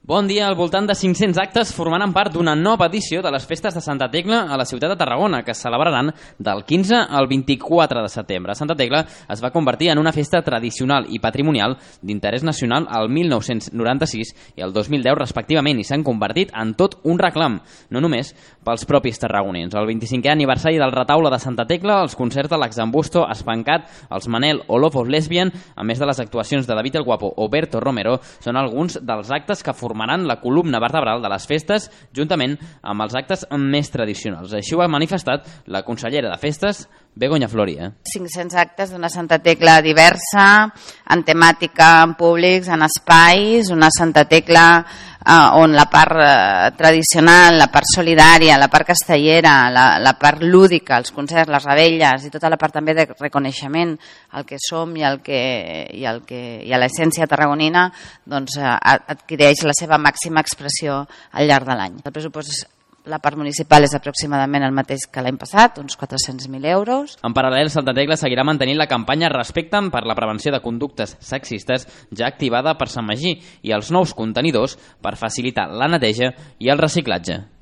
Bon dia. Al voltant de 500 actes formaran part d'una nova edició de les Festes de Santa Tecla a la ciutat de Tarragona, que es celebraran del 15 al 24 de setembre. Santa Tecla es va convertir en una festa tradicional i patrimonial d'interès nacional el 1996 i el 2010 respectivament, i s'han convertit en tot un reclam, no només pels propis tarragonins. El 25è aniversari del retaule de Santa Tecla, els concerts de l'Axambusto, Espancat, els Manel o Love of Lesbian, a més de les actuacions de David el Guapo o Berto Romero, són alguns dels actes que formaran la columna vertebral de les festes, juntament amb els actes més tradicionals. Així ho ha manifestat la consellera de Festes, Begoña Floria. 500 actes d'una Santa Tecla diversa, en temàtica, en públics, en espais, una Santa Tecla on la part tradicional, la part solidària, la part castellera, la part lúdica, els concerts, les revetlles i tota la part també de reconeixement al que som i a l'essència tarragonina, doncs adquireix la seva màxima expressió al llarg de l'any. El pressupost, la part municipal, és aproximadament el mateix que l'any passat, uns 400.000 euros. En paral·lel, Santa Tecla seguirà mantenint la campanya Respecta'm per la prevenció de conductes sexistes, ja activada per Sant Magí, i els nous contenidors per facilitar la neteja i el reciclatge.